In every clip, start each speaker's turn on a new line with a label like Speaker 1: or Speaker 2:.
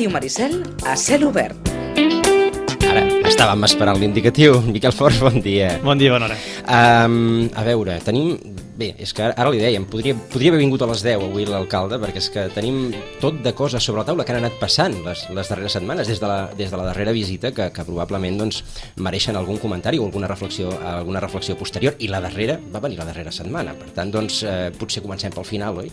Speaker 1: Ràdio Maricel a cel obert.
Speaker 2: Ara, estàvem esperant l'indicatiu. Miquel Forns, bon dia.
Speaker 3: Bon dia, bona hora.
Speaker 2: A veure, tenim... Bé, és que ara li dèiem, podria haver vingut a les 10 avui l'alcalde, perquè és que tenim tot de coses sobre la taula que han anat passant les darreres setmanes, des de la darrera visita, que probablement doncs, mereixen algun comentari o alguna reflexió posterior, i la darrera va venir la darrera setmana. Per tant, doncs, potser comencem pel final, oi?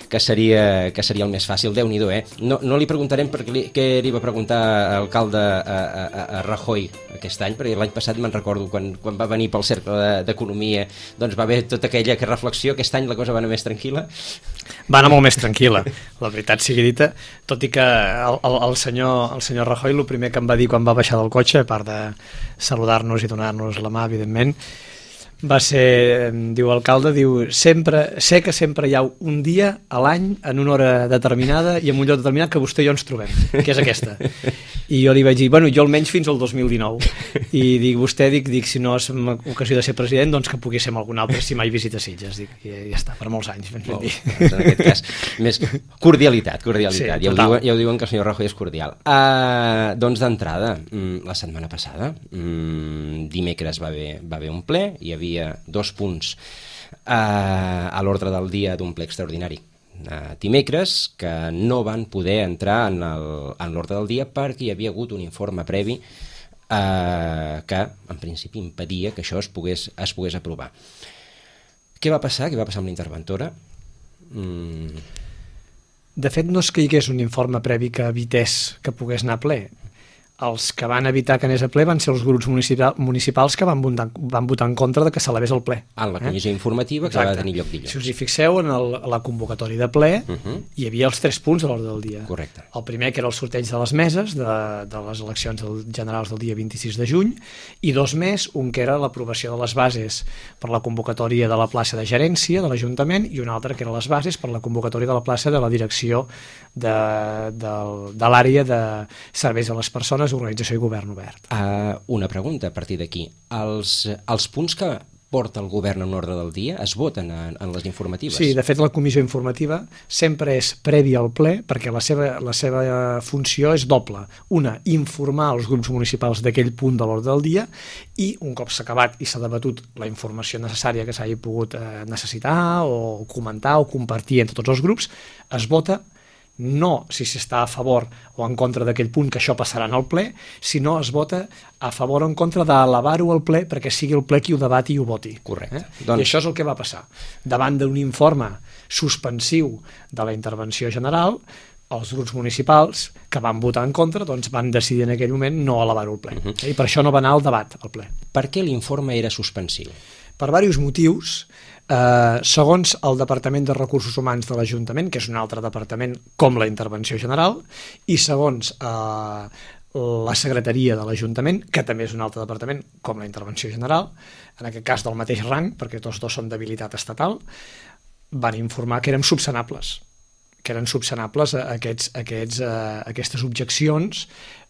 Speaker 2: Que seria el més fàcil. Déu-n'hi-do, No li preguntarem què li va preguntar l'alcalde a Rajoy aquest any, perquè l'any passat me'n recordo quan va venir pel Cercle d'Economia, doncs va haver tota aquella reflexió. Aquest any la cosa va anar més tranquil·la?
Speaker 3: Va anar molt més tranquil·la, la veritat sigui dita, tot i que el senyor Rajoy el primer que em va dir quan va baixar del cotxe, a part de saludar-nos i donar-nos la mà, evidentment, va ser, diu l'alcalde, sé que sempre hi ha un dia a l'any en una hora determinada i en un lloc determinat que vostè i jo ens trobem, que és aquesta. I jo li vaig dir, jo almenys fins al 2019. I dic, vostè, si no és ocasió de ser president, doncs que pugui ser amb algun altre, si mai visita Sitges. Dic, i ja està, per molts anys.
Speaker 2: Doncs en aquest cas, més cordialitat.
Speaker 3: Sí,
Speaker 2: ja ho diuen que el senyor Rajoy és cordial. Doncs d'entrada, la setmana passada, dimecres va haver un ple, hi havia 2 punts a l'ordre del dia d'un ple extraordinari dimecres que no van poder entrar en l'ordre del dia perquè hi havia hagut un informe previ que en principi impedia que això es pogués aprovar. Què va passar? Què va passar amb la interventora?
Speaker 3: De fet, no és que hi hagués un informe previ que evités que pogués anar a ple. Els que van evitar que anés a ple van ser els grups municipals que van votar en contra de que s'elevés al ple.
Speaker 2: En la comissió informativa que va tenir lloc dilluns.
Speaker 3: Si us hi fixeu, en la convocatòria de ple hi havia els 3 punts a l'ordre del dia.
Speaker 2: Correcte.
Speaker 3: El primer, que era el sorteig de les meses de les eleccions generals del dia 26 de juny, i 2 més, un que era l'aprovació de les bases per la convocatòria de la plaça de gerència de l'Ajuntament i un altre que era les bases per la convocatòria de la plaça de la direcció de l'àrea de serveis a les persones, organització i govern obert.
Speaker 2: Una pregunta a partir d'aquí. Els punts que porta el govern en ordre del dia es voten en les informatives?
Speaker 3: Sí, de fet la comissió informativa sempre és prèvia al ple perquè la seva funció és doble. Una, informar els grups municipals d'aquell punt de l'ordre del dia i un cop s'ha acabat i s'ha debatut la informació necessària que s'hagi pogut necessitar o comentar o compartir entre tots els grups, es vota no si s'està a favor o en contra d'aquell punt, que això passarà en el ple, sinó es vota a favor o en contra d'elevar-ho al ple perquè sigui el ple qui ho debati i ho voti.
Speaker 2: Correcte.
Speaker 3: I això és el que va passar. Davant d'un informe suspensiu de la intervenció general, els grups municipals que van votar en contra doncs van decidir en aquell moment no elevar-ho al ple. I per això no va anar al debat al ple.
Speaker 2: Per què l'informe era suspensiu?
Speaker 3: Per diversos motius. Segons el Departament de Recursos Humans de l'Ajuntament, que és un altre departament com la Intervenció General, i segons la Secretaria de l'Ajuntament, que també és un altre departament com la Intervenció General, en aquest cas del mateix rang, perquè tots dos són d'habilitat estatal, van informar que eren subsanables aquestes objeccions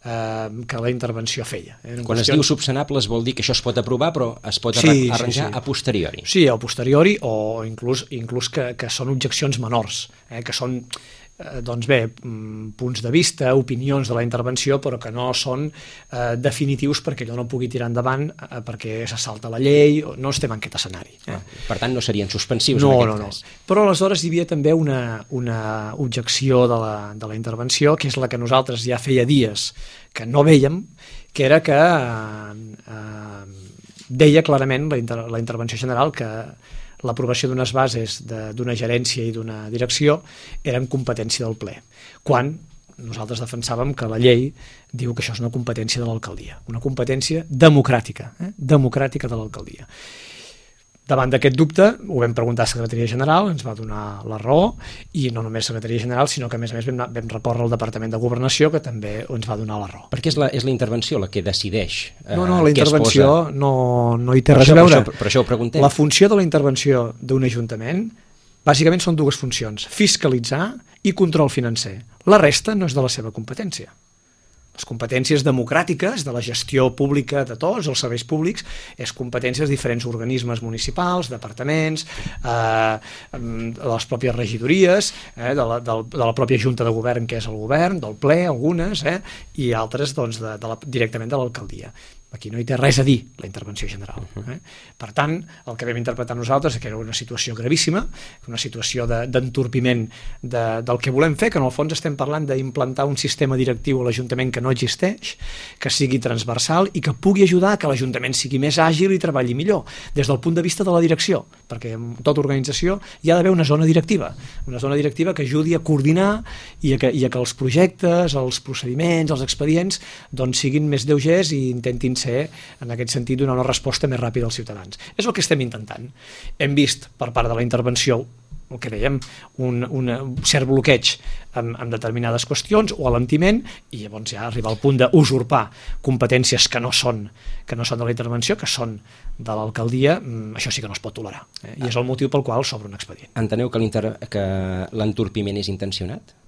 Speaker 3: que la intervenció feia.
Speaker 2: Quan es diu subsanables vol dir que això es pot aprovar però es pot arranjar a posteriori.
Speaker 3: Sí, a posteriori o inclús que són objeccions menors, que són punts de vista, opinions de la intervenció, però que no són definitius perquè allò no pugui tirar endavant perquè se salta la llei, no estem en aquest escenari.
Speaker 2: Per tant, no serien suspensius
Speaker 3: en
Speaker 2: aquest cas.
Speaker 3: Però aleshores hi havia també una objecció de la intervenció, que és la que nosaltres ja feia dies que no vèiem, que era que deia clarament la intervenció general que l'aprovació d'unes bases d'una gerència i d'una direcció eren competència del ple, quan nosaltres defensàvem que la llei diu que això és una competència de l'alcaldia, una competència democràtica de l'alcaldia. Davant d'aquest dubte ho vam preguntar a Secretaria General, ens va donar la raó, i no només Secretaria General, sinó que a més vam recórrer al Departament de Governació, que també ens va donar la raó.
Speaker 2: Perquè és la intervenció la que decideix
Speaker 3: No, la intervenció no hi té res a veure.
Speaker 2: Per això ho preguntem.
Speaker 3: La funció de la intervenció d'un ajuntament bàsicament són 2 funcions: fiscalitzar i control financer. La resta no és de la seva competència. Les competències democràtiques de la gestió pública de tots els serveis públics és competències de diferents organismes municipals, departaments, de les pròpies regidories, de la pròpia Junta de Govern, que és el govern, del ple, algunes, i altres doncs, directament de l'alcaldia. Aquí no hi té res a dir la intervenció general. Per tant, el que vam interpretar nosaltres és que era una situació gravíssima, una situació d'entorpiment del que volem fer, que en el fons estem parlant d'implantar un sistema directiu a l'Ajuntament que no existeix, que sigui transversal i que pugui ajudar que l'Ajuntament sigui més àgil i treballi millor, des del punt de vista de la direcció, perquè en tota organització hi ha d'haver una zona directiva que ajudi a coordinar i a que els projectes, els procediments, els expedients doncs siguin més lleugers i intentin ser, en aquest sentit, donar una resposta més ràpida als ciutadans. És el que estem intentant. Hem vist per part de la intervenció el que dèiem, un cert bloqueig en determinades qüestions o alentiment, i llavors ja arribar al punt d'usurpar competències que no són de la intervenció, que són de l'alcaldia, això sí que no es pot tolerar. I és el motiu pel qual s'obre un expedient.
Speaker 2: Enteneu que l'entorpiment és intencionat?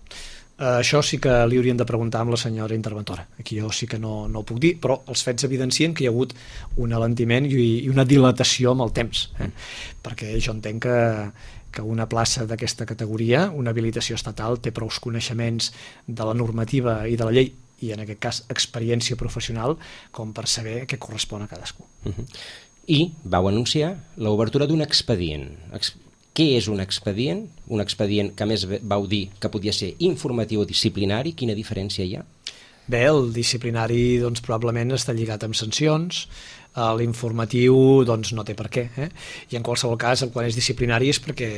Speaker 3: Això sí que li haurien de preguntar amb la senyora interventora. Aquí jo sí que no ho puc dir, però els fets evidencien que hi ha hagut un alentiment i una dilatació amb el temps, perquè jo entenc que una plaça d'aquesta categoria, una habilitació estatal, té prou coneixements de la normativa i de la llei, i en aquest cas experiència professional, com per saber què correspon a cadascú.
Speaker 2: I vau anunciar l'obertura d'un expedient. Què és un expedient? Un expedient que a més vau dir que podia ser informatiu o disciplinari. Quina diferència hi ha?
Speaker 3: Bé, el disciplinari doncs, probablement està lligat amb sancions, l'informatiu doncs, no té per què. I en qualsevol cas, quan és disciplinari és perquè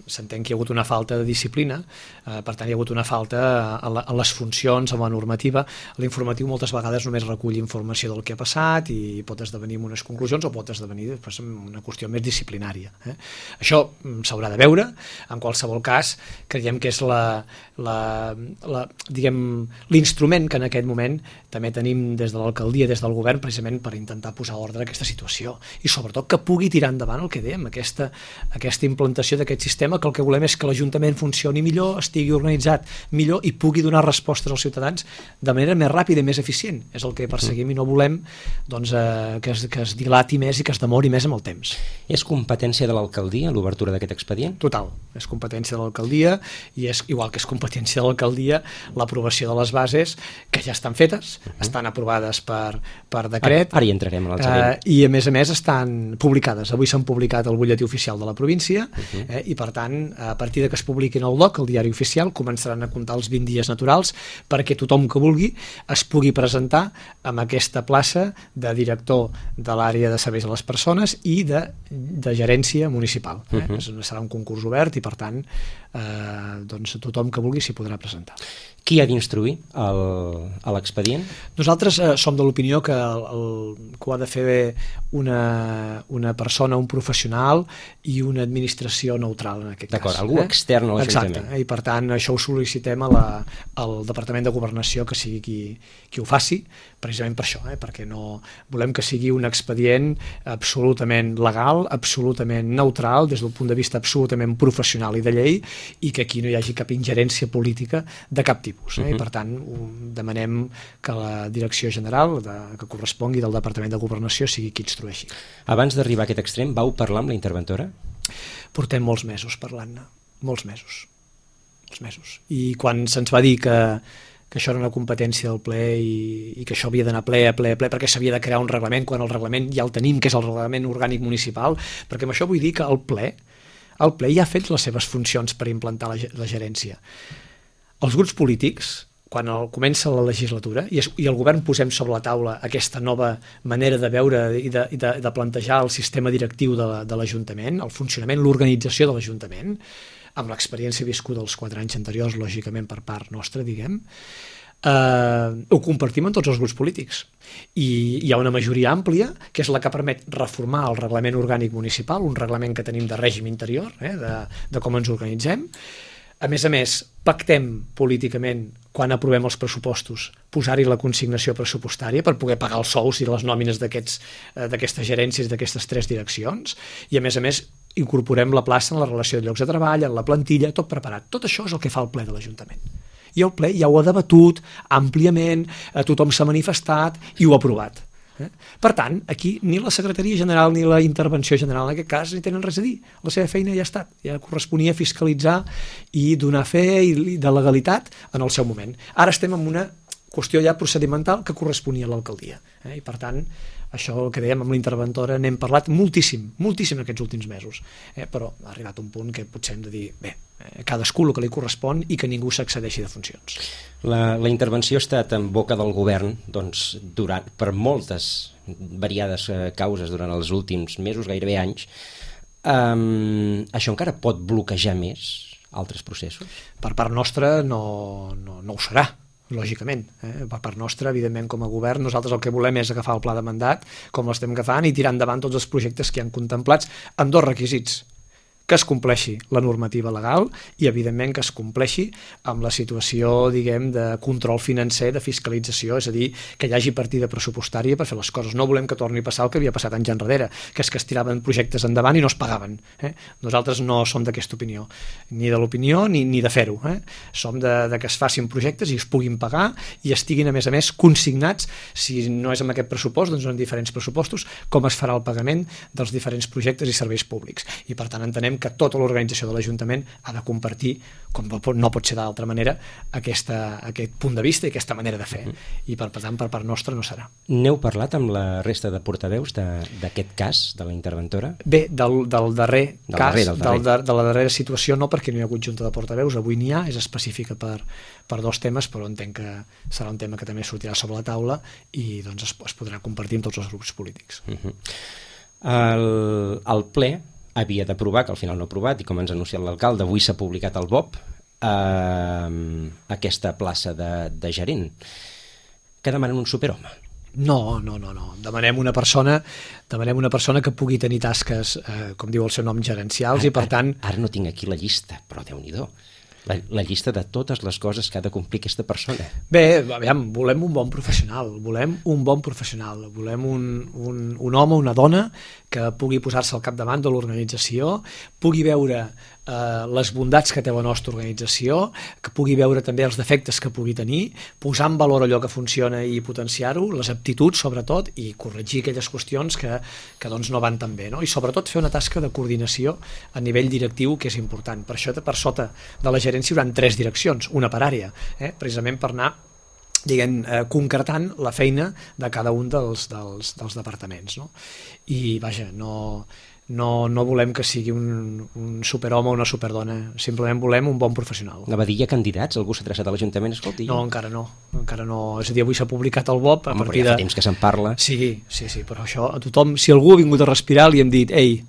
Speaker 3: s'entén que hi ha hagut una falta de disciplina, per tant hi ha hagut una falta a les funcions, a la normativa. L'informatiu moltes vegades només recull informació del que ha passat i pot esdevenir en unes conclusions o pot esdevenir després en una qüestió més disciplinària. Això s'haurà de veure. En qualsevol cas, creiem que és l'instrument que en aquest moment també tenim des de l'alcaldia, des del govern, precisament per intentar posar ordre a aquesta situació i sobretot que pugui tirar endavant el que dèiem, aquesta implantació d'aquest sistema, que el que volem és que l'Ajuntament funcioni millor, estigui organitzat millor i pugui donar respostes als ciutadans de manera més ràpida i més eficient. És el que perseguim i no volem doncs, que es dilati més i que es demori més amb el temps.
Speaker 2: És competència de l'alcaldia l'obertura d'aquest expedient?
Speaker 3: Total, és competència de l'alcaldia i és igual que és competència de l'alcaldia l'aprovació de les bases que ja estan fetes, estan aprovades per decret.
Speaker 2: Ara hi entrarem a l'altre.
Speaker 3: I a més estan publicades. Avui s'han publicat al butlletí oficial de la província i per tant, a partir de que es publiquin al DOC, el diari oficial, començaran a comptar els 20 dies naturals perquè tothom que vulgui es pugui presentar amb aquesta plaça de director de l'àrea de serveis a les persones i de gerència municipal. Serà un concurs obert i per tant doncs tothom que vulgui s'hi podrà presentar.
Speaker 2: Qui ha d'instruir l'expedient?
Speaker 3: Nosaltres som de l'opinió que ho ha de fer una persona, un professional i una administració neutral en aquest cas.
Speaker 2: D'acord, algú extern a l'Ajuntament.
Speaker 3: Exacte, i per tant això ho sol·licitem al Departament de Governació que sigui qui ho faci, precisament per això, perquè no volem que sigui un expedient absolutament legal, absolutament neutral, des del punt de vista absolutament professional i de llei, i que aquí no hi hagi cap ingerència política de cap tipus. I per tant demanem que la direcció general que correspongui del Departament de Governació sigui qui instrueixi.
Speaker 2: Abans d'arribar a aquest extrem, vau parlar amb la interventora?
Speaker 3: Portem molts mesos parlant-ne, molts mesos. I quan se'ns va dir que això era una competència del ple i que això havia d'anar ple perquè s'havia de crear un reglament, quan el reglament ja el tenim, que és el reglament orgànic municipal, perquè amb això vull dir que el ple ja ha fet les seves funcions per implantar la gerència. Els grups polítics, quan comença la legislatura i el govern posem sobre la taula aquesta nova manera de veure i de plantejar el sistema directiu de l'Ajuntament, el funcionament, l'organització de l'Ajuntament, amb l'experiència viscuda dels 4 anys anteriors, lògicament per part nostra, diguem, ho compartim amb tots els grups polítics. I hi ha una majoria àmplia, que és la que permet reformar el reglament orgànic municipal, un reglament que tenim de règim interior, de com ens organitzem. A més, pactem políticament, quan aprovem els pressupostos, posar-hi la consignació pressupostària per poder pagar els sous i les nòmines d'aquestes gerències, d'aquestes 3 direccions, i a més, incorporem la plaça en la relació de llocs de treball, en la plantilla, tot preparat. Tot això és el que fa el ple de l'Ajuntament. I el ple ja ho ha debatut àmpliament, tothom s'ha manifestat i ho ha aprovat. Per tant, aquí ni la secretaria general ni la intervenció general en aquest cas ni tenen res a dir. La seva feina ja ha estat, ja corresponia fiscalitzar i donar fe de legalitat en el seu moment. Ara estem en una qüestió ja procedimental que corresponia a l'alcaldia. I per tant, això el que dèiem amb l'interventora n'hem parlat moltíssim aquests últims mesos, però ha arribat un punt que potser hem de dir, bé, cadascú el que li correspon i que ningú s'excedeixi de funcions.
Speaker 2: La intervenció ha estat en boca del govern doncs, per moltes variades causes durant els últims mesos, gairebé anys. Això encara pot bloquejar més altres processos?
Speaker 3: Per part nostra no ho serà, lògicament. Per part nostra, evidentment, com a govern, nosaltres el que volem és agafar el pla de mandat, com l'estem agafant, i tirar endavant tots els projectes que hi han contemplats amb dos requisits: que es compleixi la normativa legal i, evidentment, que es compleixi amb la situació, diguem, de control financer, de fiscalització, és a dir, que hi hagi partida pressupostària per fer les coses. No volem que torni a passar el que havia passat anys enrere, que és que es tiraven projectes endavant i no es pagaven. Nosaltres no som d'aquesta opinió, ni de l'opinió ni de fer-ho. Som de que es facin projectes i es puguin pagar i estiguin, a més, consignats, si no és amb aquest pressupost, doncs en diferents pressupostos, com es farà el pagament dels diferents projectes i serveis públics. I, per tant, entenem que tota l'organització de l'Ajuntament ha de compartir, com no pot ser d'altra manera, aquest punt de vista i aquesta manera de fer. I per tant, per part nostra no serà.
Speaker 2: N'heu parlat amb la resta de portaveus d'aquest cas, de la interventora?
Speaker 3: Bé, del darrer cas, de la darrera situació no, perquè no hi ha hagut junta de portaveus, avui n'hi ha, és específica per dos temes, però entenc que serà un tema que també sortirà sobre la taula i doncs es podrà compartir amb tots els grups polítics.
Speaker 2: El ple havia d'aprovar, que al final no ha aprovat, i com ens ha anunciat l'alcalde, avui s'ha publicat al BOP aquesta plaça de gerent. Que demanen un superhome?
Speaker 3: No. Demanem una persona que pugui tenir tasques, com diu el seu nom, gerencials, i per tant...
Speaker 2: Ara no tinc aquí la llista, però Déu-n'hi-do. La llista de totes les coses que ha de complir aquesta persona.
Speaker 3: Bé, aviam, volem un bon professional, volem un home, una dona que pugui posar-se al capdavant de l'organització, pugui veure les bondats que té la nostra organització, que pugui veure també els defectes que pugui tenir, posar en valor allò que funciona i potenciar-ho, les aptituds sobretot, i corregir aquelles qüestions que doncs no van tan bé, no? I sobretot fer una tasca de coordinació a nivell directiu, que és important. Per això, per sota de la gerència hi haurà 3 direccions, una per àrea, precisament per anar concretant la feina de cada un dels departaments, no? I vaja, no volem que sigui un superhome o una superdona, simplement volem un bon professional.
Speaker 2: Anava a dir, hi ha candidats? Algú s'ha traçat a l'Ajuntament? Escolti.
Speaker 3: No, encara no. És a dir, avui s'ha publicat el BOP.
Speaker 2: Home, però ja fa temps que se'n parla.
Speaker 3: Sí, però això a tothom, si algú ha vingut a respirar, li hem dit, ei,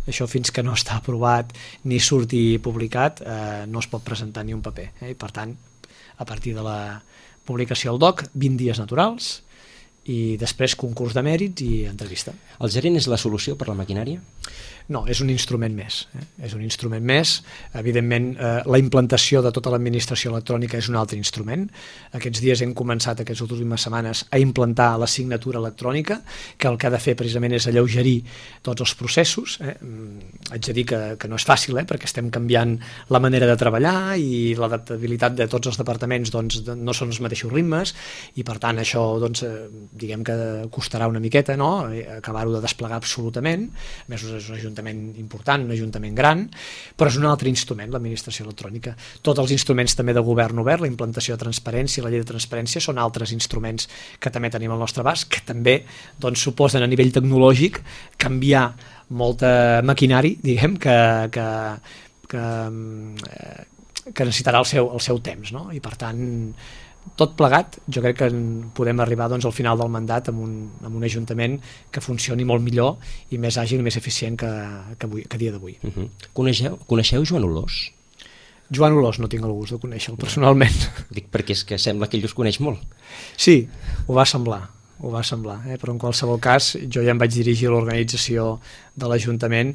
Speaker 3: això fins que no està aprovat ni surti publicat, no es pot presentar ni un paper. I per tant, a partir de la publicació al DOC, 20 dies naturals, i després concurs de mèrits i entrevista.
Speaker 2: El gerent és la solució per la maquinària?
Speaker 3: No, és un instrument més. És un instrument més. Evidentment, la implantació de tota l'administració electrònica és un altre instrument. Aquests dies hem començat, aquestes últimes setmanes, a implantar la signatura electrònica, que el que ha de fer precisament és alleugerir tots els processos. Haig de dir que no és fàcil, perquè estem canviant la manera de treballar i l'adaptabilitat de tots els departaments doncs, no són els mateixos ritmes i, per tant, això doncs, diguem que costarà una miqueta, no? Acabar-ho de desplegar absolutament. A més, és un ajuntament important, un ajuntament gran, però és un altre instrument, l'administració electrònica. Tots els instruments també de govern obert, la implantació de transparència, la llei de transparència, són altres instruments que també tenim al nostre abast, que també doncs, suposen a nivell tecnològic canviar molta maquinari, diguem, que necessitarà el seu temps, no? I per tant, tot plegat, jo crec que podem arribar doncs, al final del mandat amb un ajuntament que funcioni molt millor i més àgil i més eficient que dia d'avui.
Speaker 2: Coneixeu Joan Olós?
Speaker 3: Joan Olós no tinc el gust de conèixer-lo personalment.
Speaker 2: Dic perquè és que sembla que ell us coneix molt.
Speaker 3: Sí, ho va semblar, però en qualsevol cas jo ja em vaig dirigir a l'organització de l'Ajuntament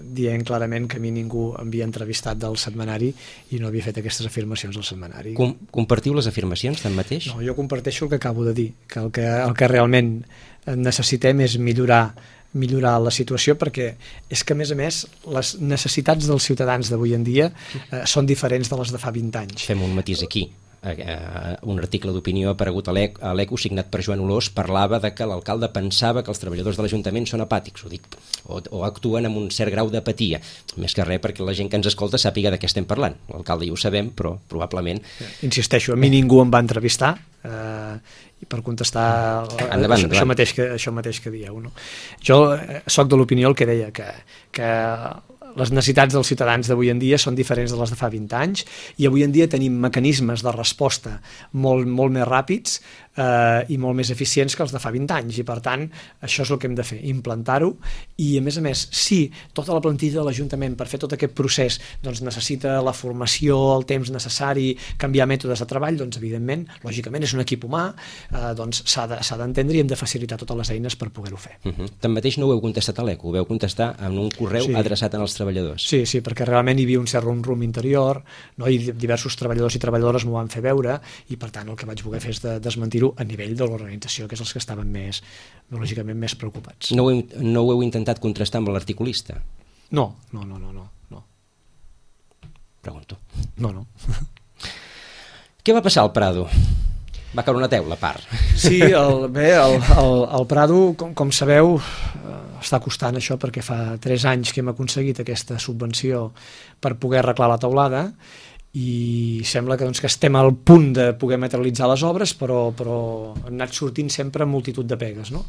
Speaker 3: dient clarament que a mi ningú havia entrevistat del setmanari i no havia fet aquestes afirmacions del setmanari.
Speaker 2: Compartiu les afirmacions tanmateix?
Speaker 3: No, jo comparteixo el que acabo de dir, que el que realment necessitem és millorar millorar la situació, perquè és que, a més, les necessitats dels ciutadans d'avui en dia són diferents de les de fa 20 anys.
Speaker 2: Fem un matís aquí. Un article d'opinió aparegut a l'Eco signat per Joan Olós parlava de que l'alcalde pensava que els treballadors de l'Ajuntament són apàtics, o actuen amb un cert grau d'apatia, més que res perquè la gent que ens escolta sàpiga de què estem parlant. L'alcalde ja ho sabem, però probablement...
Speaker 3: Insisteixo, a mi ningú em va entrevistar i per contestar això mateix que dieu, no? Jo soc de l'opinió el que deia, que les necessitats dels ciutadans d'avui en dia són diferents de les de fa 20 anys i avui en dia tenim mecanismes de resposta molt més ràpids i molt més eficients que els de fa 20 anys i per tant això és el que hem de fer, implantar-ho i a més si tota la plantilla de l'Ajuntament per fer tot aquest procés doncs necessita la formació, el temps necessari, canviar mètodes de treball, doncs evidentment, lògicament és un equip humà, doncs s'ha d'entendre i hem de facilitar totes les eines per poder-ho fer.
Speaker 2: Tanmateix no ho heu contestat a l'Eco, ho veu contestar en un correu adreçat als treballadors.
Speaker 3: Sí, perquè realment hi havia un cert rum interior, no? I diversos treballadors i treballadores m'ho van fer veure i per tant el que vaig voler fer és desmentir-ho a nivell de l'organització, que és els que estaven lògicament més preocupats.
Speaker 2: No ho heu intentat contrastar amb l'articulista?
Speaker 3: No.
Speaker 2: Pregunto.
Speaker 3: No.
Speaker 2: Què va passar al Prado? Va caure una teula, a part.
Speaker 3: Sí, el Prado, com sabeu, està costant això perquè fa 3 anys que hem aconseguit aquesta subvenció per poder arreglar la teulada i sembla que estem al punt de poder materialitzar les obres, però han anat sortint sempre multitud de pegues, no?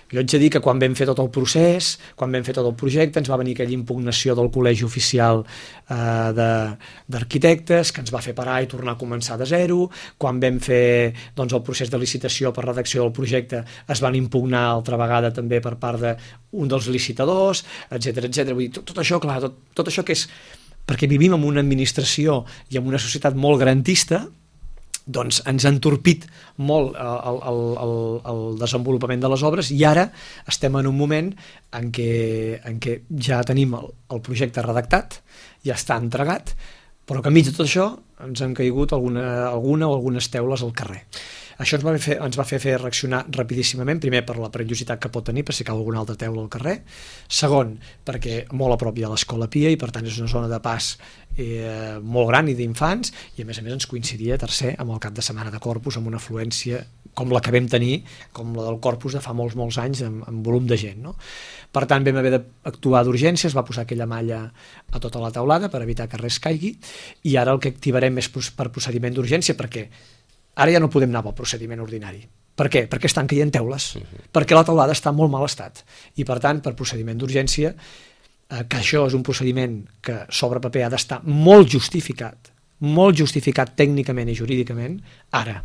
Speaker 3: Jo haig de dir que quan vam fer tot el procés, quan vam fer tot el projecte, ens va venir aquella impugnació del Col·legi Oficial d'Arquitectes, que ens va fer parar i tornar a començar de zero. Quan vam fer el procés de licitació per redacció del projecte, es van impugnar altra vegada també per part d'un dels licitadors, etc. Vull dir, tot això, clar, tot això que és... perquè vivim en una administració i en una societat molt garantista, doncs ens ha entorpit molt el desenvolupament de les obres i ara estem en un moment en què ja tenim el projecte redactat, ja està entregat, però que enmig de tot això ens han caigut alguna o algunes teules al carrer. Això ens va fer reaccionar rapidíssimament, primer per la perillositat que pot tenir per si cau alguna altra teula al carrer, segon perquè molt a prop hi ha l'Escola Pia i per tant és una zona de pas molt gran i d'infants i a més ens coincidia, tercer, amb el cap de setmana de Corpus amb una afluència com la que vam tenir, com la del Corpus de fa molts anys amb volum de gent, no? Per tant vam haver d'actuar d'urgència, es va posar aquella malla a tota la teulada per evitar que res caigui i ara el que activarem és per procediment d'urgència perquè ara ja no podem anar pel procediment ordinari. Per què? Perquè estan caient teules, perquè la teulada està en molt mal estat i per tant per procediment d'urgència, que això és un procediment que sobre paper ha d'estar molt justificat tècnicament i jurídicament, ara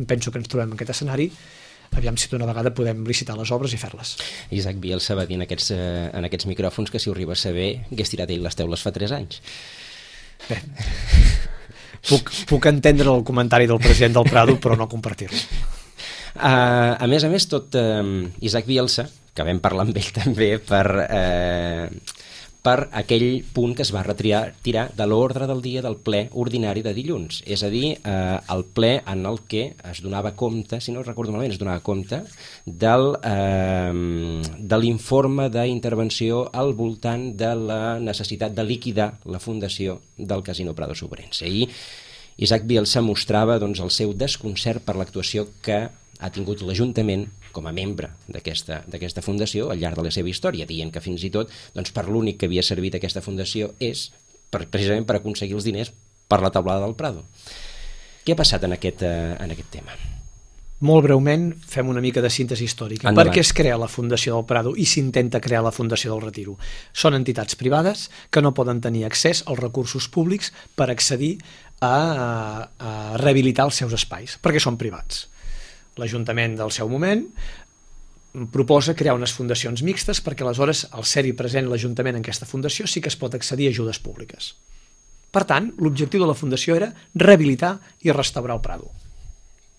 Speaker 3: penso que ens trobem en aquest escenari, aviam si d'una vegada podem licitar les obres i fer-les.
Speaker 2: Isaac Bielsa va dir en aquests micròfons que si ho arriba a saber hagués tirat ell les teules fa 3 anys.
Speaker 3: Bé, puc entendre el comentari del president del Prado però no compartir-lo.
Speaker 2: A més, Isaac Bielsa, que vam parlar amb ell també per aquell punt que es va retirar de l'ordre del dia del ple ordinari de dilluns, és a dir, el ple en el que es donava compte, si no recordo malament, es donava compte de l'informe d'intervenció al voltant de la necessitat de liquidar la fundació del Casino Prado Sobrense. Ahir Isaac Bielsa mostrava el seu desconcert per l'actuació que ha tingut l'Ajuntament com a membre d'aquesta fundació al llarg de la seva història, dient que fins i tot per l'únic que havia servit aquesta fundació és precisament per aconseguir els diners per la teulada del Prado. Què ha passat en aquest tema?
Speaker 3: Molt breument fem una mica de síntesi històrica.
Speaker 2: Endavant.
Speaker 3: Per què es crea la Fundació del Prado i s'intenta crear la Fundació del Retiro? Són entitats privades que no poden tenir accés als recursos públics per accedir a rehabilitar els seus espais, perquè són privats. L'Ajuntament del seu moment proposa crear unes fundacions mixtes perquè aleshores, al ser-hi present l'Ajuntament en aquesta fundació, sí que es pot accedir a ajudes públiques. Per tant, l'objectiu de la fundació era rehabilitar i restaurar el Prado.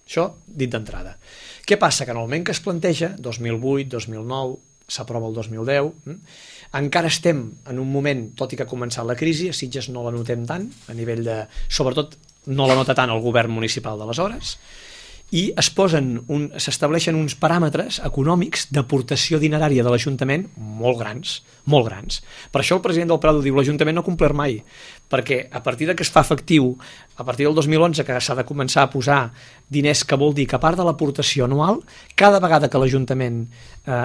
Speaker 3: Això dit d'entrada. Què passa? Que en el moment que es planteja, 2008, 2009, s'aprova el 2010, encara estem en un moment, tot i que ha començat la crisi, a Sitges no la notem tant, a nivell de... Sobretot no la nota tant el govern municipal d'aleshores, i s'estableixen uns paràmetres econòmics d'aportació dinerària de l'Ajuntament molt grans, molt grans. Per això el president del Prado diu l'Ajuntament no ha complert mai, perquè a partir de que es fa efectiu, a partir del 2011 que s'ha de començar a posar diners, que vol dir que a part de l'aportació anual, cada vegada que l'Ajuntament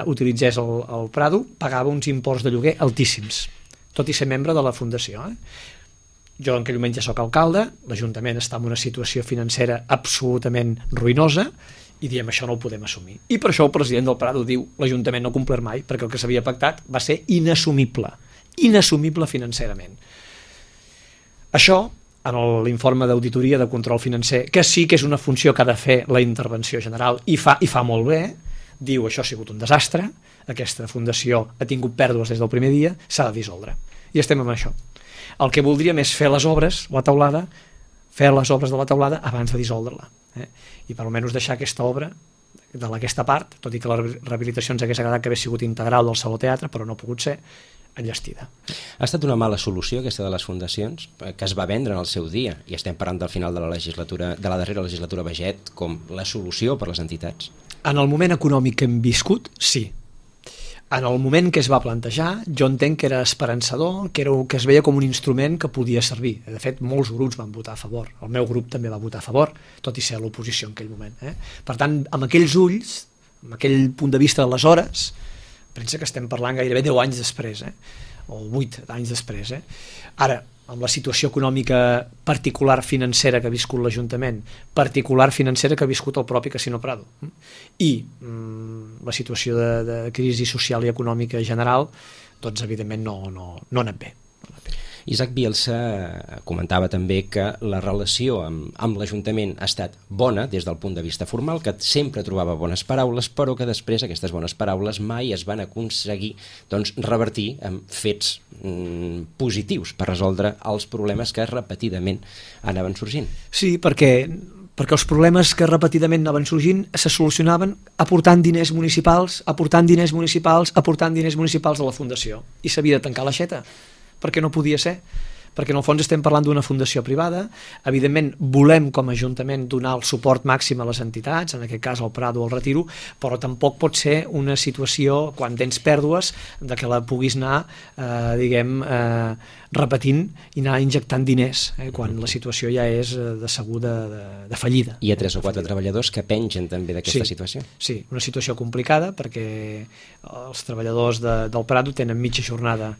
Speaker 3: utilitzés el Prado pagava uns imports de lloguer altíssims, tot i ser membre de la Fundació. Jo en aquell moment ja soc alcalde, l'Ajuntament està en una situació financera absolutament ruïnosa i diem això no ho podem assumir. I per això el president del Prado diu l'Ajuntament no ha complert mai, perquè el que s'havia pactat va ser inassumible financerament. Això, en l'informe d'auditoria de control financer, que sí que és una funció que ha de fer la intervenció general i fa molt bé, diu això ha sigut un desastre, aquesta fundació ha tingut pèrdues des del primer dia, s'ha de dissoldre. I estem amb això. El que voldríem és fer les obres, fer les obres de la teulada abans de dissoldre-la. I per almenys deixar aquesta obra, d'aquesta part, tot i que la rehabilitació ens hagués agradat que hagués sigut integral del Saló Teatre, però no ha pogut ser, enllestida.
Speaker 2: Ha estat una mala solució aquesta de les fundacions, que es va vendre en el seu dia, i estem parlant del final de la darrera legislatura Baiget, com la solució per les entitats?
Speaker 3: En el moment econòmic que hem viscut, sí. En el moment que es va plantejar, jo entenc que era esperançador, que es veia com un instrument que podia servir. De fet, molts grups van votar a favor. El meu grup també va votar a favor, tot i ser a l'oposició en aquell moment. Per tant, amb aquells ulls, amb aquell punt de vista d'aleshores, pensa que estem parlant gairebé 10 anys després, o 8 anys després. Ara, amb la situació econòmica particular financera que ha viscut l'Ajuntament, particular financera que ha viscut el propi Casino Prado, i la situació de crisi social i econòmica general, doncs evidentment no ha anat bé.
Speaker 2: Isaac Bielsa comentava també que la relació amb l'Ajuntament ha estat bona des del punt de vista formal, que sempre trobava bones paraules, però que després aquestes bones paraules mai es van aconseguir revertir en fets positius per resoldre els problemes que repetidament anaven sorgint.
Speaker 3: Sí, perquè els problemes que repetidament anaven sorgint se solucionaven aportant diners municipals a la Fundació, i s'havia de tancar l'aixeta, perquè no podia ser, perquè en el fons estem parlant d'una fundació privada. Evidentment volem com a Ajuntament donar el suport màxim a les entitats, en aquest cas al Prado o al Retiro, però tampoc pot ser una situació, quan tens pèrdues, de que la puguis anar repetint i anar injectant diners, quan la situació ja és de segur de fallida.
Speaker 2: Hi ha 3 o 4 treballadors que pengen també d'aquesta situació.
Speaker 3: Sí, una situació complicada, perquè els treballadors del Prado tenen mitja jornada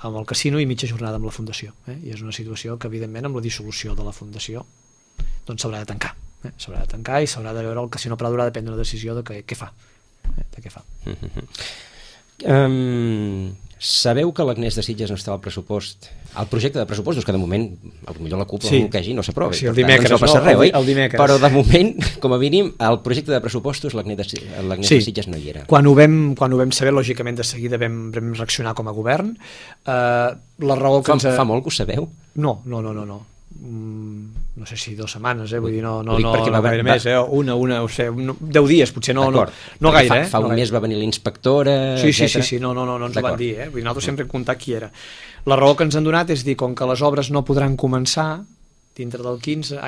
Speaker 3: amb el casino i mitja jornada amb la Fundació, i és una situació que evidentment amb la dissolució de la Fundació doncs s'haurà de tancar, i s'haurà de veure, el Casino Prado haurà de prendre una decisió de què fa.
Speaker 2: Sabeu que l'Agnès de Sitges no està al pressupost, al projecte de pressupostos, que de moment potser la CUP o el no s'aprovi,
Speaker 3: el dimecres,
Speaker 2: no passa res,
Speaker 3: però
Speaker 2: de moment, com a mínim, al projecte de pressupostos l'Agnès de Sitges no hi era.
Speaker 3: Quan ho vam saber, lògicament de seguida vam reaccionar com a govern. La raó que
Speaker 2: fa molt que ho sabeu?
Speaker 3: No sé si 2 setmanes, vull dir, no gaire més, 10 dies, potser no gaire.
Speaker 2: Fa un mes va venir l'inspectora,
Speaker 3: etcètera. Sí, no ens ho van dir, vull dir, nosaltres sempre hem comptat qui era. La raó que ens han donat és dir, com que les obres no podran començar dintre del 16,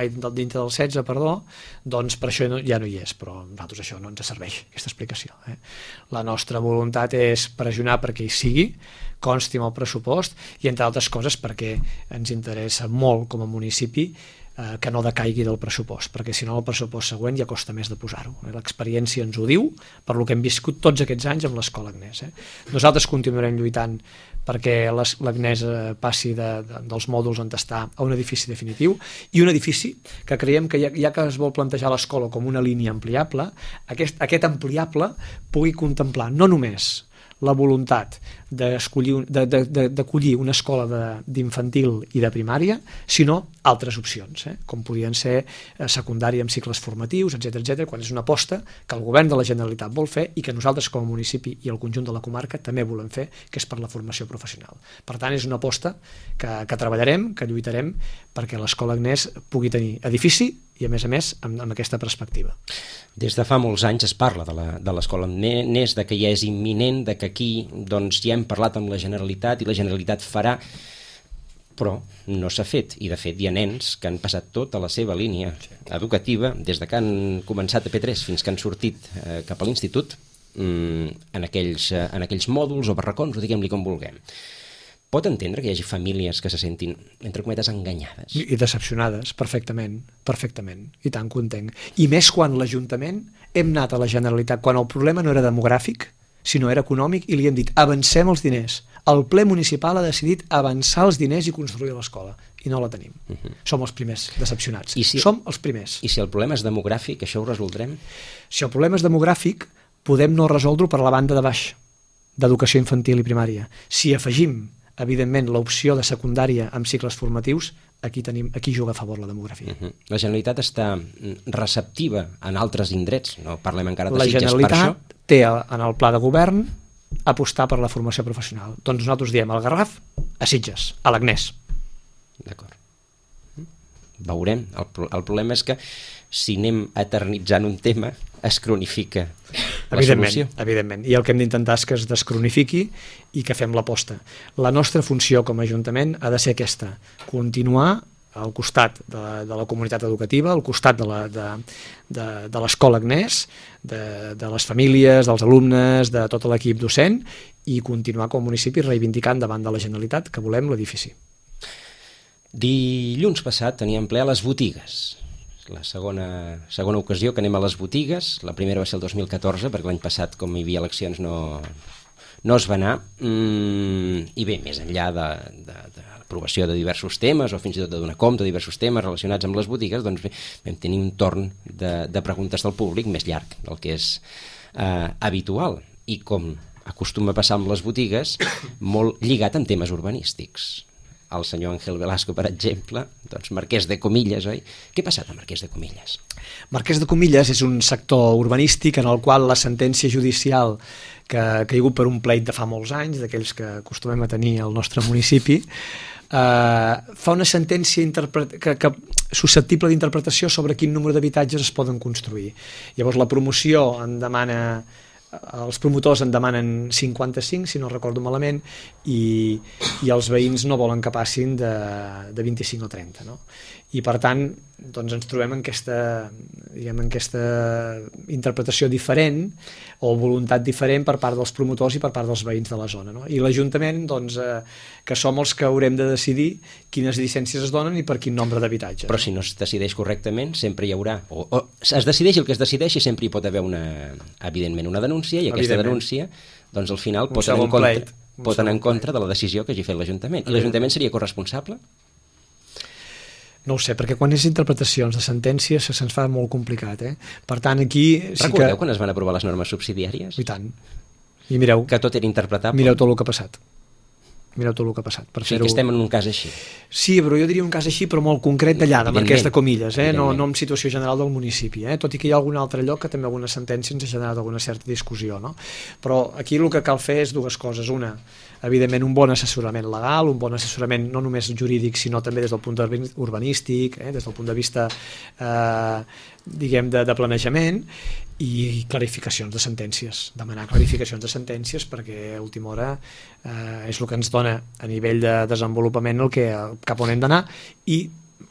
Speaker 3: doncs per això ja no hi és, però a nosaltres això no ens serveix, aquesta explicació. La nostra voluntat és pressionar perquè hi sigui, consti amb el pressupost, i entre altres coses perquè ens interessa molt com a municipi que no decaigui del pressupost, perquè si no el pressupost següent ja costa més de posar-ho. L'experiència ens ho diu, per lo que hem viscut tots aquests anys amb l'Escola Agnès. Nosaltres continuarem lluitant perquè l'Agnès passi dels mòduls on està a un edifici definitiu, i un edifici que creiem que ja que es vol plantejar l'escola com una línia ampliable, aquest ampliable pugui contemplar no només la voluntat d'acollir una escola d'infantil i de primària, sinó altres opcions, com podien ser secundària amb cicles formatius, etc., quan és una aposta que el govern de la Generalitat vol fer i que nosaltres com a municipi i el conjunt de la comarca també volem fer, que és per la formació professional. Per tant, és una aposta que treballarem, que lluitarem perquè l'Escola Agnès pugui tenir edifici i, a més, amb aquesta perspectiva.
Speaker 2: Des de fa molts anys es parla de l'Escola Agnès, de que ja és imminent, de que aquí ja hem parlat amb la Generalitat i la Generalitat farà. però no s'ha fet, i de fet hi ha nens que han passat tota la seva línia educativa, des de que han començat a P3 fins que han sortit cap a l'institut, en aquells mòduls o barracons, o diguem-li com vulguem. Pot entendre que hi hagi famílies que se sentin, entre cometes, enganyades?
Speaker 3: I decepcionades, perfectament, i tant que ho entenc. I més quan l'Ajuntament hem anat a la Generalitat, quan el problema no era demogràfic, sinó era econòmic, i li hem dit, avancem els diners. El ple municipal ha decidit avançar els diners i construir l'escola, i no la tenim. Som els primers decepcionats. Som els primers.
Speaker 2: I si el problema és demogràfic, això ho resoldrem?
Speaker 3: Si el problema és demogràfic, podem no resoldre-ho per la banda de baix, d'educació infantil i primària. Si afegim, evidentment, l'opció de secundària amb cicles formatius, aquí juga a favor la demografia.
Speaker 2: La Generalitat està receptiva en altres indrets, no parlem encara de Sitges per això.
Speaker 3: La Generalitat té en el pla de govern apostar per la formació professional. Doncs nosaltres diem al Garraf, a Sitges, a l'Agnès.
Speaker 2: D'acord. Veurem. El problema és que si anem eternitzant un tema, es cronifica la solució.
Speaker 3: Evidentment. I el que hem d'intentar és que es descronifiqui i que fem l'aposta. La nostra funció com a Ajuntament ha de ser aquesta, continuar al costat de la comunitat educativa, al costat de l'escola Agnès, de les famílies, dels alumnes, de tot l'equip docent, i continuar com a municipi reivindicant davant de la Generalitat que volem l'edifici.
Speaker 2: Dilluns passat teníem ple a les botigues. La segona ocasió que anem a les botigues. La primera va ser el 2014, perquè l'any passat, com hi havia eleccions, no es va anar. I bé, més enllà de l'aprovació de diversos temes, o fins i tot de donar compte de diversos temes relacionats amb les botigues, doncs bé, vam tenir un torn de preguntes del públic més llarg del que és habitual. I com acostuma a passar amb les botigues, molt lligat amb temes urbanístics. El senyor Ángel Velasco, per exemple, doncs Marquès de Comillas, oi? Què ha passat a Marquès de Comillas?
Speaker 3: Marquès de Comillas és un sector urbanístic en el qual la sentència judicial que ha caigut per un pleit de fa molts anys, d'aquells que acostumem a tenir al nostre municipi, fa una sentència susceptible d'interpretació sobre quin número d'habitatges es poden construir. Llavors la promoció els promotors en demanen 55, si no recordo malament, i els veïns no volen que passin de 25 o 30, no? I per tant doncs ens trobem en aquesta interpretació diferent o voluntat diferent per part dels promotors i per part dels veïns de la zona, no? I l'Ajuntament, doncs, que som els que haurem de decidir quines llicències es donen i per quin nombre d'habitatges.
Speaker 2: Però si no es decideix correctament, sempre hi haurà, o es decideix el que es decideixi, sempre hi pot haver evidentment una denúncia, i aquesta denúncia doncs al final pot anar en contra de la decisió que hagi fet l'Ajuntament. I l'Ajuntament seria corresponsable?
Speaker 3: No ho sé, perquè quan és interpretacions de sentències se'ns fa molt complicat, eh? Per tant, aquí...
Speaker 2: Recordeu quan es van aprovar les normes subsidiàries?
Speaker 3: I tant. I mireu...
Speaker 2: Que tot era interpretable.
Speaker 3: Mireu tot el que ha passat.
Speaker 2: Que estem en un cas així.
Speaker 3: Sí, però jo diria un cas així, però molt concret d'allà, de Marquès de Comillas, no en situació general del municipi, tot i que hi ha algun altre lloc que també alguna sentència ens ha generat alguna certa discussió, no? Però aquí el que cal fer és dues coses. Una, evidentment, un bon assessorament legal, un bon assessorament no només jurídic, sinó també des del punt de vista urbanístic, des del punt de vista de planejament, i clarificacions de sentències, demanar clarificacions de sentències, perquè a última hora és el que ens dona a nivell de desenvolupament cap on hem d'anar, i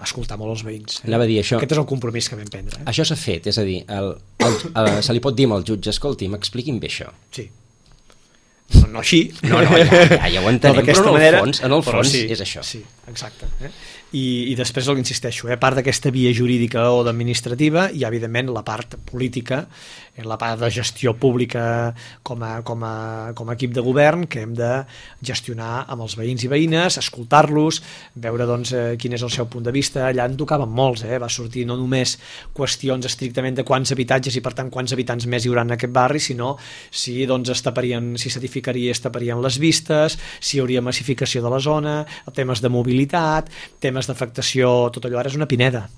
Speaker 3: escoltar molt els veïns.
Speaker 2: Anava a dir això.
Speaker 3: Aquest és el compromís que vam prendre.
Speaker 2: Això s'ha fet, és a dir, se li pot dir al jutge, escolti, m'expliquin bé això.
Speaker 3: Sí. No així.
Speaker 2: No, ja ho entenem, però en el fons és això.
Speaker 3: Sí, exacte. I després insisteixo, a part d'aquesta via jurídica o administrativa, hi ha evidentment la part política, la part de gestió pública com a equip de govern, que hem de gestionar amb els veïns i veïnes, escoltar-los, veure quin és el seu punt de vista. Allà en tocaven molts, va sortir no només qüestions estrictament de quants habitatges i per tant quants habitants més hi haurà en aquest barri, sinó si s'edificaria, es taparien les vistes, si hi hauria massificació de la zona, temes de mobilitat, temes d'afectació, tot allò ara és una pineda.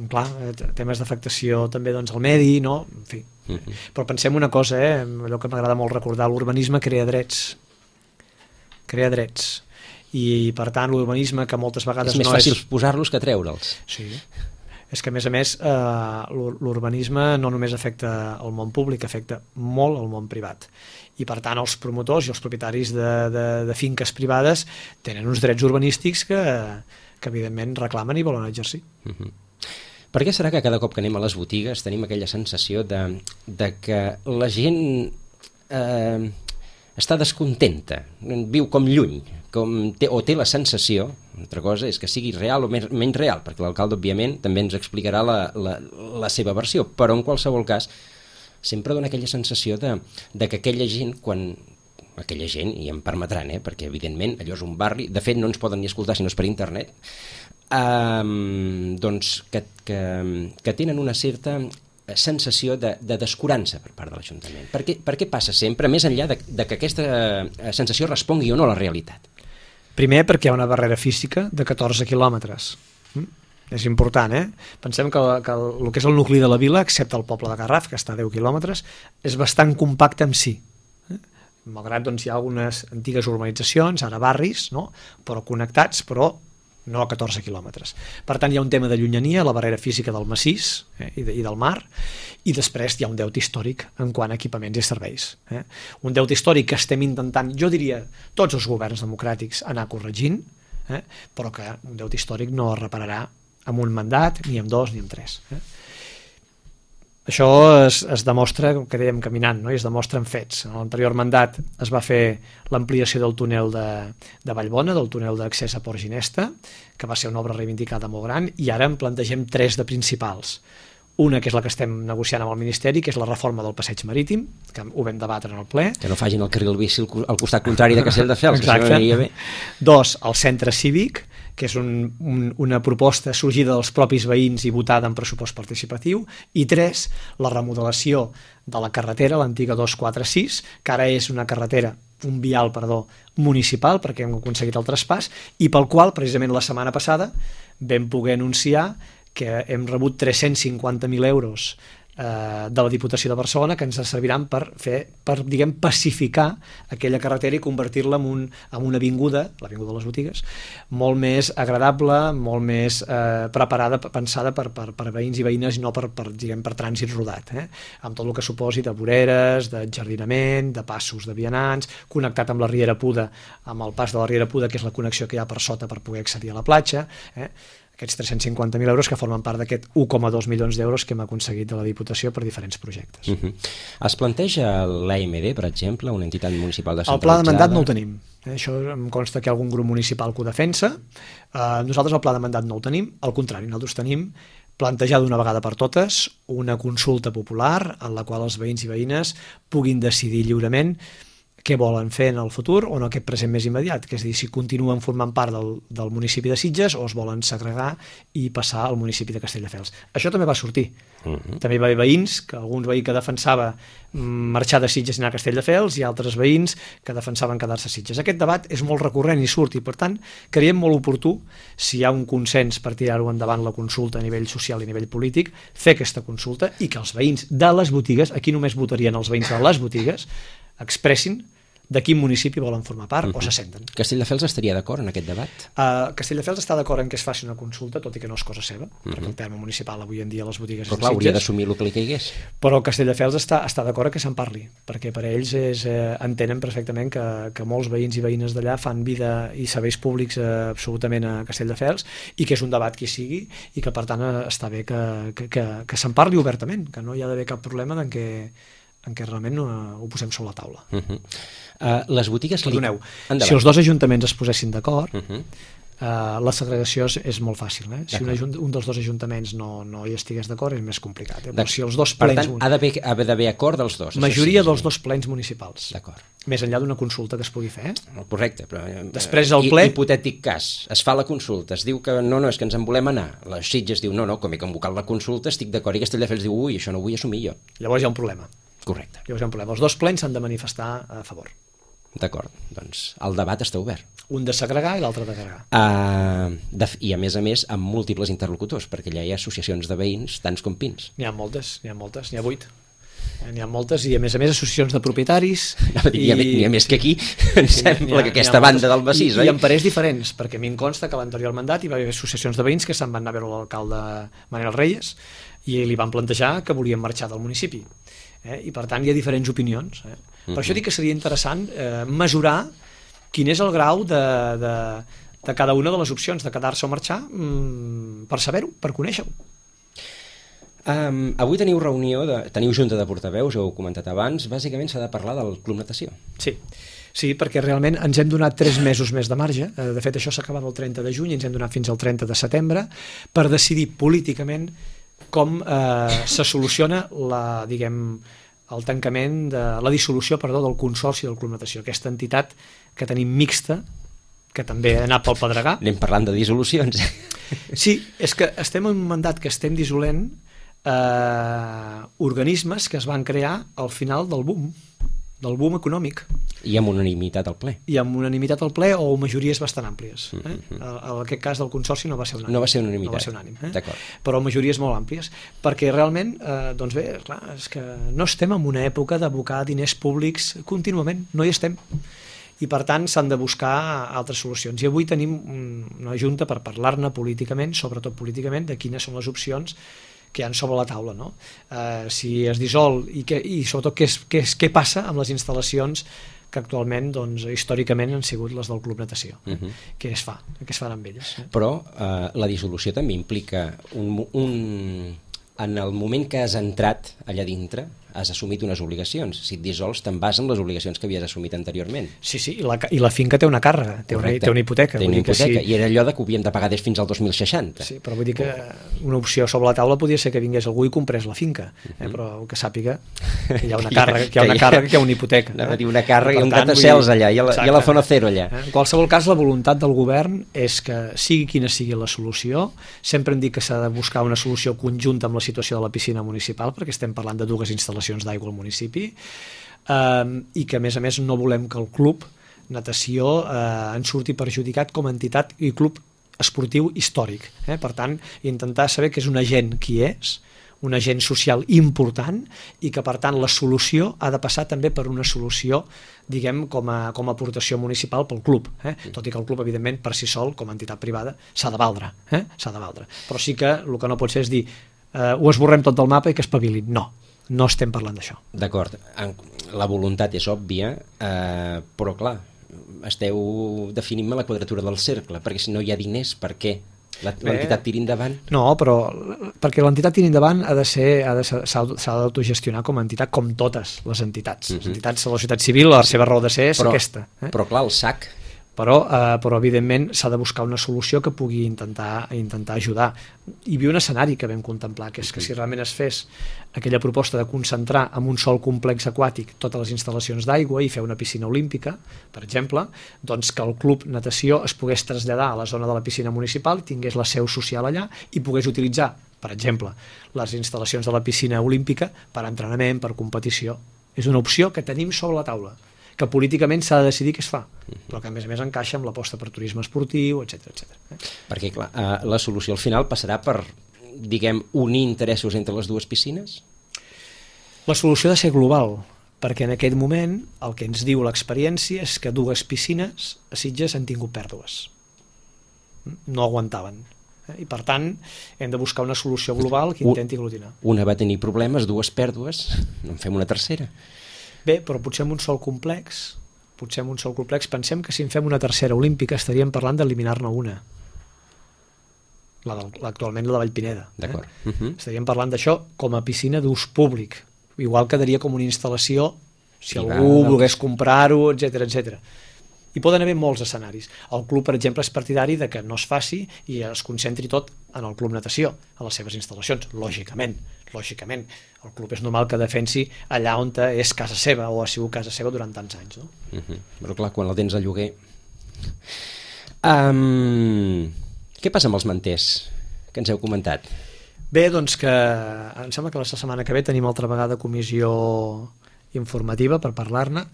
Speaker 3: Clar, temes d'afectació també al medi, no? En fi. Però pensem una cosa, allò que m'agrada molt recordar, l'urbanisme crea drets. I per tant l'urbanisme, que moltes vegades
Speaker 2: és més fàcil posar-los que treure'ls.
Speaker 3: Sí. és que, a més, l'urbanisme no només afecta el món públic, afecta molt el món privat. I, per tant, els promotors i els propietaris de finques privades tenen uns drets urbanístics que evidentment, reclamen i volen exercir.
Speaker 2: Per què serà que cada cop que anem a les botigues tenim aquella sensació de que la gent està descontenta, viu com lluny, o té la sensació, altra cosa és que sigui real o menys real, perquè l'alcalde, òbviament, també ens explicarà la seva versió, però en qualsevol cas sempre dona aquella sensació de que aquella gent, aquella gent, i em permetran, perquè evidentment allò és un barri, de fet no ens poden ni escoltar si no és per internet, doncs que tenen una certa sensació de descurança per part de l'Ajuntament. Per què passa sempre, més enllà de que aquesta sensació respongui o no a la realitat?
Speaker 3: Primer, perquè hi ha una barrera física de 14 quilòmetres. És important, Pensem que el que és el nucli de la vila, excepte el poble de Garraf, que està a 10 quilòmetres, és bastant compacte en si. Malgrat hi ha algunes antigues urbanitzacions, ara barris, no? Però connectats, però no a 14 quilòmetres. Per tant, hi ha un tema de llunyania, la barrera física del massís i del mar, i després hi ha un deute històric en quant a equipaments i serveis. Un deute històric que estem intentant, jo diria, tots els governs democràtics anar corregint, però que un deute històric no es repararà amb un mandat, ni amb dos, ni amb tres. Això es demostra, que dèiem caminant, no? I es demostra en fets. En l'anterior mandat es va fer l'ampliació del túnel de Vallbona, del túnel d'accés a Port Ginesta, que va ser una obra reivindicada molt gran, i ara en plantegem 3 de principals. Una, que és la que estem negociant amb el Ministeri, que és la reforma del passeig marítim, que ho vam debatre en el ple.
Speaker 2: Que no facin el carril bici al costat contrari de Castelldefels.
Speaker 3: Exacte. Que 2, el centre cívic, que és una proposta sorgida dels propis veïns i votada en pressupost participatiu, i 3, la remodelació de la carretera, l'antiga 246, que ara és un vial municipal, perquè hem aconseguit el traspàs, i pel qual, precisament la setmana passada, vam poder anunciar que hem rebut 350.000 euros de la Diputació de Barcelona, que ens serviran per pacificar aquella carretera i convertir-la en una avinguda, l'avinguda de les botigues, molt més agradable, molt més preparada, pensada per veïns i veïnes i no per trànsit rodat, amb tot el que suposi de voreres, de jardinament, de passos de vianants, connectat amb la Riera Puda, amb el pas de la Riera Puda, que és la connexió que hi ha per sota per poder accedir a la platja, aquests 350.000 euros que formen part d'aquest 1,2 milions d'euros que hem aconseguit de la Diputació per diferents projectes.
Speaker 2: Es planteja l'AMD, per exemple, una entitat municipal descentralitzada?
Speaker 3: El pla de mandat no el tenim. Això em consta que hi ha algun grup municipal que ho defensa. Nosaltres el pla de mandat no el tenim, al contrari, nosaltres tenim plantejar d'una vegada per totes una consulta popular en la qual els veïns i veïnes puguin decidir lliurement què volen fer en el futur o en aquest present més immediat, que és a dir, si continuen formant part del municipi de Sitges o es volen segregar i passar al municipi de Castelldefels. Això també va sortir. També hi va haver veïns, algun veí que defensava marxar de Sitges i anar a Castelldefels i altres veïns que defensaven quedar-se a Sitges. Aquest debat és molt recurrent i surt, i per tant creiem molt oportú, si hi ha un consens per tirar-ho endavant la consulta a nivell social i a nivell polític, fer aquesta consulta i que els veïns de les botigues, aquí només votarien els veïns de les botigues, expressin de quin municipi volen formar part o se senten.
Speaker 2: Castelldefels estaria d'acord en aquest debat?
Speaker 3: Castelldefels està d'acord en que es faci una consulta, tot i que no és cosa seva, perquè el terme municipal avui en dia a les botigues
Speaker 2: però clar, hauria d'assumir el que li caigués.
Speaker 3: Però Castelldefels està d'acord que se'n parli, perquè per ells entenen perfectament que molts veïns i veïnes d'allà fan vida i serveis públics absolutament a Castelldefels i que és un debat que hi sigui i que per tant està bé que se'n parli obertament, que no hi ha d'haver cap problema en què realment ho posem sobre la taula.
Speaker 2: Les botigues...
Speaker 3: Perdoneu, si els dos ajuntaments es posessin d'acord, la segregació és molt fàcil. Si un dels dos ajuntaments no hi estigués d'acord és més complicat. Però si els dos plens...
Speaker 2: Per tant, ha d'haver acord dels dos.
Speaker 3: Majoria dels dos plens municipals.
Speaker 2: D'acord.
Speaker 3: Més enllà d'una consulta que es pugui fer.
Speaker 2: Correcte, però...
Speaker 3: Després el ple...
Speaker 2: Hipotètic cas, es fa la consulta, es diu que no, és que ens en volem anar. La Sitges diu, no, com he convocat la consulta, estic d'acord, i Castelldefels diu, ui, això no ho vull assumir jo.
Speaker 3: Llavors hi ha un problema.
Speaker 2: Correcte.
Speaker 3: Llavors hi ha un problema. Els dos plens s'han de manifestar a favor.
Speaker 2: D'acord, doncs el debat està obert.
Speaker 3: Un de segregar i l'altre d'agregar.
Speaker 2: I a més amb múltiples interlocutors, perquè allà hi ha associacions de veïns, tants com pins.
Speaker 3: N'hi ha moltes, n'hi ha 8. N'hi ha moltes, i a més associacions de propietaris.
Speaker 2: N'hi ha més que aquí, em sembla que aquesta banda del massís, oi?
Speaker 3: I en parers diferents, perquè a mi em consta que a l'anterior mandat hi va haver associacions de veïns que se'n van anar a veure l'alcalde Manel Reyes i li van plantejar que volien marxar del municipi. I per tant hi ha diferents opinions. Per això dic que seria interessant mesurar quin és el grau de cada una de les opcions, de quedar-se o marxar, per saber-ho, per conèixer-ho.
Speaker 2: Avui teniu teniu junta de portaveus, ho heu comentat abans, bàsicament s'ha de parlar del Club Natació.
Speaker 3: Sí, perquè realment ens hem donat 3 mesos més de marge. De fet, això s'acaba el 30 de juny, ens hem donat fins al 30 de setembre per decidir políticament com se soluciona el tancament de la dissolució del Consorci del Club Natació, aquesta entitat que tenim mixta, que també ha anat pel pedregar.
Speaker 2: Anem parlant de dissolucions.
Speaker 3: Sí, és que estem en un mandat que estem dissolent organismes que es van crear al final del boom econòmic.
Speaker 2: I amb unanimitat al ple.
Speaker 3: I amb unanimitat al ple o majories bastant àmplies. En aquest cas del Consorci no va ser unànime.
Speaker 2: No va ser unanimitat.
Speaker 3: No va ser unànime.
Speaker 2: D'acord.
Speaker 3: Però majories molt àmplies. Perquè realment, doncs bé, clar, és que no estem en una època d'abocar diners públics contínuament, no hi estem. I per tant s'han de buscar altres solucions. I avui tenim una junta per parlar-ne políticament, sobretot políticament, de quines són les opcions que hi ha sobre la taula, no? Si es dissol i sobretot què passa amb les instal·lacions que actualment, doncs, històricament han sigut les del Club Natació. Què es fan amb elles?
Speaker 2: Però la dissolució també implica en el moment que has entrat allà dintre has assumit unes obligacions. Si et dissols, te'n vas en les obligacions que havies assumit anteriorment.
Speaker 3: Sí, i la finca té una càrrega, té una hipoteca.
Speaker 2: Té una hipoteca, i era allò que ho havíem de pagar des fins al 2060.
Speaker 3: Sí, però vull dir que una opció sobre la taula podria ser que vingués algú i comprés la finca, però que sàpiga que hi ha una càrrega, que hi ha una hipoteca.
Speaker 2: Anava a dir una càrrega i un catacels allà, i a la zona zero allà.
Speaker 3: En qualsevol cas, la voluntat del govern és que sigui quina sigui la solució, sempre hem dit que s'ha de buscar una solució conjunta amb la situació de la piscina municipal, perquè estem parlant de 2 instal·lacions d'aigua al municipi, i que a més no volem que el club natació en surti perjudicat com a entitat i club esportiu històric. Per tant, intentar saber que és un agent qui és, un agent social important, i que per tant la solució ha de passar també per una solució, diguem, com a aportació municipal pel club, tot i que el club, evidentment, per si sol, com a entitat privada, s'ha de valdre, però sí que el que no pot ser és dir ho esborrem tot del mapa i que espavilin. No estem parlant d'això.
Speaker 2: D'acord, la voluntat és òbvia, però clar, esteu definint-me la quadratura del cercle, perquè si no hi ha diners, per què l'entitat tiri endavant?
Speaker 3: No, però perquè l'entitat tiri endavant s'ha d'autogestionar com a entitat, com totes les entitats. Les entitats de la societat civil, la seva raó de ser és aquesta.
Speaker 2: Però clar, el SAC...
Speaker 3: Però evidentment s'ha de buscar una solució que pugui intentar ajudar. Hi havia un escenari que vam contemplar, que és que si realment es fes aquella proposta de concentrar en un sol complex aquàtic totes les instal·lacions d'aigua i fer una piscina olímpica, per exemple, doncs que el club natació es pogués traslladar a la zona de la piscina municipal, tingués la seu social allà i pogués utilitzar, per exemple, les instal·lacions de la piscina olímpica per entrenament, per competició. És una opció que tenim sobre la taula, que políticament s'ha de decidir què es fa, però que a més encaixa amb l'aposta per turisme esportiu, etc.
Speaker 2: Perquè clar, la solució al final passarà per, diguem, unir interessos entre les 2 piscines?
Speaker 3: La solució ha de ser global, perquè en aquest moment el que ens diu l'experiència és que 2 piscines a Sitges han tingut pèrdues. No aguantaven. I per tant hem de buscar una solució global que intenti aglutinar.
Speaker 2: Una va tenir problemes, 2 pèrdues, no en fem una tercera.
Speaker 3: Bé, però potser en un sol complex, pensem que si en fem una tercera olímpica estaríem parlant d'eliminar-ne una. Actualment la de Vallpineda.
Speaker 2: D'acord.
Speaker 3: Estaríem parlant d'això com a piscina d'ús públic. Igual quedaria com una instal·lació si algú volgués comprar-ho, etc. Hi poden haver molts escenaris. El club, per exemple, és partidari de que no es faci i es concentri tot en el club natació, a les seves instal·lacions, lògicament. El club és normal que defensi allà on és casa seva o ha sigut casa seva durant tants anys, no?
Speaker 2: Però clar, quan el tens a lloguer... Què passa amb els manters que ens heu comentat?
Speaker 3: Bé, doncs que em sembla que la setmana que ve tenim altra vegada comissió informativa per parlar-ne.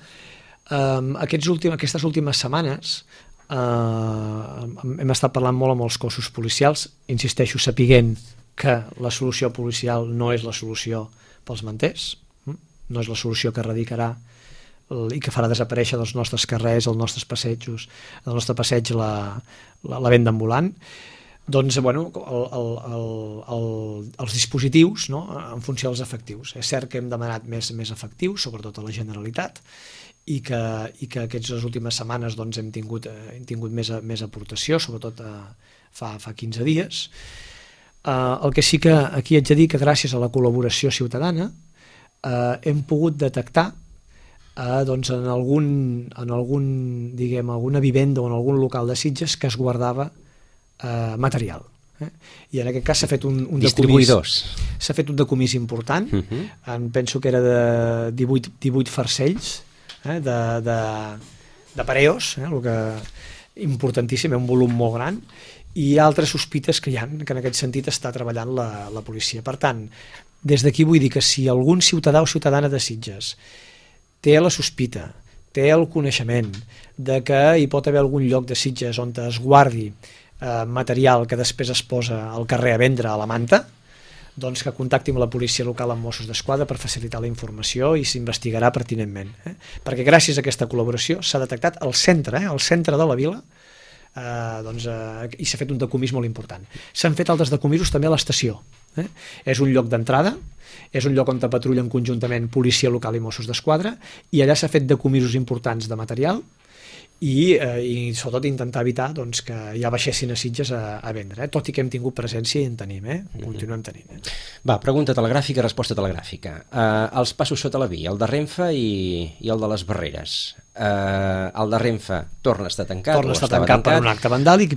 Speaker 3: Aquestes últimes setmanes hem estat parlant molt amb els cossos policials, insisteixo, sapiguent que la solució policial no és la solució pels manters, no és la solució que erradicarà i que farà desaparèixer dels nostres carrers, els nostres passejos, del nostre passeig la venda ambulant. Doncs, bueno, els dispositius, no?, en funció dels efectius. És cert que hem demanat més efectius, sobretot a la Generalitat, i que aquestes últimes setmanes doncs, hem tingut més aportació, sobretot fa 15 dies. El que sí que aquí haig de dir que gràcies a la col·laboració ciutadana hem pogut detectar doncs en alguna vivenda o en algun local de Sitges que es guardava material. I en aquest cas s'ha fet un
Speaker 2: distribuïdors.
Speaker 3: S'ha fet un decomís important. Penso que era de 18 farcells de pareos, el que importantíssim, un volum molt gran, i altres sospites que hi ha, que en aquest sentit està treballant la policia. Per tant, des d'aquí vull dir que si algun ciutadà o ciutadana de Sitges té la sospita, té el coneixement de que hi pot haver algun lloc de Sitges on es guardi material que després es posa al carrer a vendre a la manta, doncs que contacti amb la policia local, amb Mossos d'Esquadra, per facilitar la informació i s'investigarà pertinentment. Perquè gràcies a aquesta col·laboració s'ha detectat al centre de la vila, i s'ha fet un decomís molt important. S'han fet altres decomisos també a l'estació. És un lloc d'entrada, és un lloc on patrullen conjuntament policia local i Mossos d'Esquadra, i allà s'ha fet decomisos importants de material i sobretot intentar evitar doncs, que ja baixessin a Sitges a vendre, tot i que hem tingut presència i en tenim, continuem tenint.
Speaker 2: Va, pregunta telegràfica, resposta telegràfica. Els passos sota la via, el de Renfe i el de les Barreres. El de Renfe torna a estar tancat?
Speaker 3: Torna a estar tancat per un acte vandàlic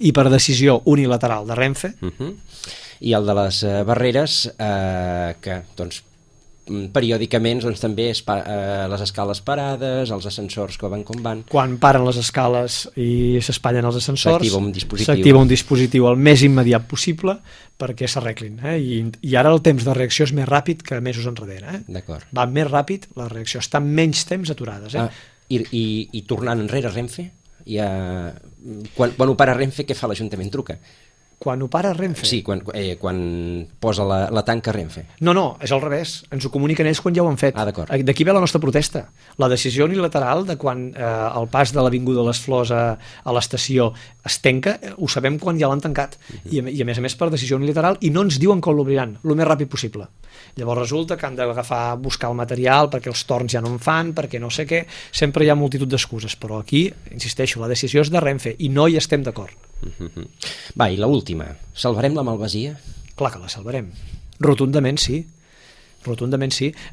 Speaker 3: i per decisió unilateral de Renfe.
Speaker 2: I el de les Barreres, que doncs periòdicament doncs, també les escales parades, els ascensors que van com van.
Speaker 3: Quan paren les escales i s'espatllen els ascensors,
Speaker 2: s'activa
Speaker 3: un dispositiu el més immediat possible perquè s'arreglin. I ara el temps de reacció és més ràpid que mesos enrere.
Speaker 2: D'acord.
Speaker 3: Va més ràpid la reacció, està menys temps aturades.
Speaker 2: I tornant enrere Renfe, quan ho para Renfe, què fa l'Ajuntament? Truca?
Speaker 3: Quan ho para Renfe?
Speaker 2: Sí, quan posa la tanca Renfe.
Speaker 3: No, és al revés. Ens ho comuniquen ells quan ja ho han fet.
Speaker 2: D'acord.
Speaker 3: D'aquí ve la nostra protesta. La decisió unilateral de quan el pas de l'Avinguda de les Flors a l'estació es tanca, ho sabem quan ja l'han tancat. I a més per decisió unilateral, i no ens diuen com l'obriran, el més ràpid possible. Llavors resulta que han buscar el material perquè els torns ja no en fan, perquè no sé què. Sempre hi ha multitud d'excuses, però aquí, insisteixo, la decisió és de Renfe i no hi estem d'acord.
Speaker 2: Va, i l'última. Salvarem la Malvasia?
Speaker 3: Clar que la salvarem. Rotundament sí.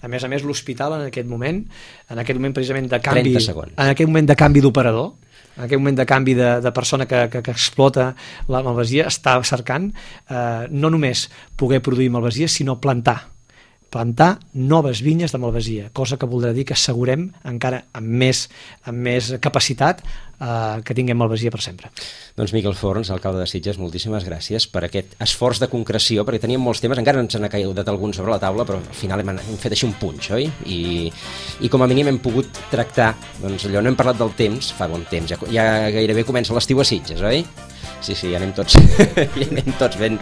Speaker 3: A més, l'hospital en aquest moment precisament de canvi...
Speaker 2: 30 segons.
Speaker 3: En aquest moment de canvi d'operador, en aquest moment de canvi de persona que explota la malvasia, està cercant no només poder produir malvasia, sinó plantar noves vinyes de malvasia, cosa que voldrà dir que assegurem encara amb més capacitat que tinguem malvasia per sempre.
Speaker 2: Doncs Miquel Forns, alcalde de Sitges, moltíssimes gràcies per aquest esforç de concreció, perquè teníem molts temes, encara ens n'ha caigut algun sobre la taula, però al final hem fet així un punx, oi? I com a mínim hem pogut tractar, doncs allò, no hem parlat del temps, fa bon temps, ja gairebé comença l'estiu a Sitges, oi? Sí, ja anem tots ben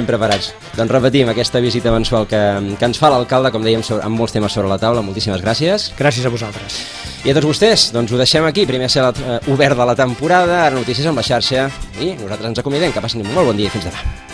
Speaker 2: preparats. Doncs repetim aquesta visita mensual que ens fa l'alcalde, com dèiem, amb molts temes sobre la taula. Moltíssimes gràcies.
Speaker 3: Gràcies a vosaltres.
Speaker 2: I a tots vostès, doncs ho deixem aquí. Primer ser obert de la temporada, ara notícies amb la xarxa, i nosaltres ens acomidem. Que passin un molt bon dia i fins demà.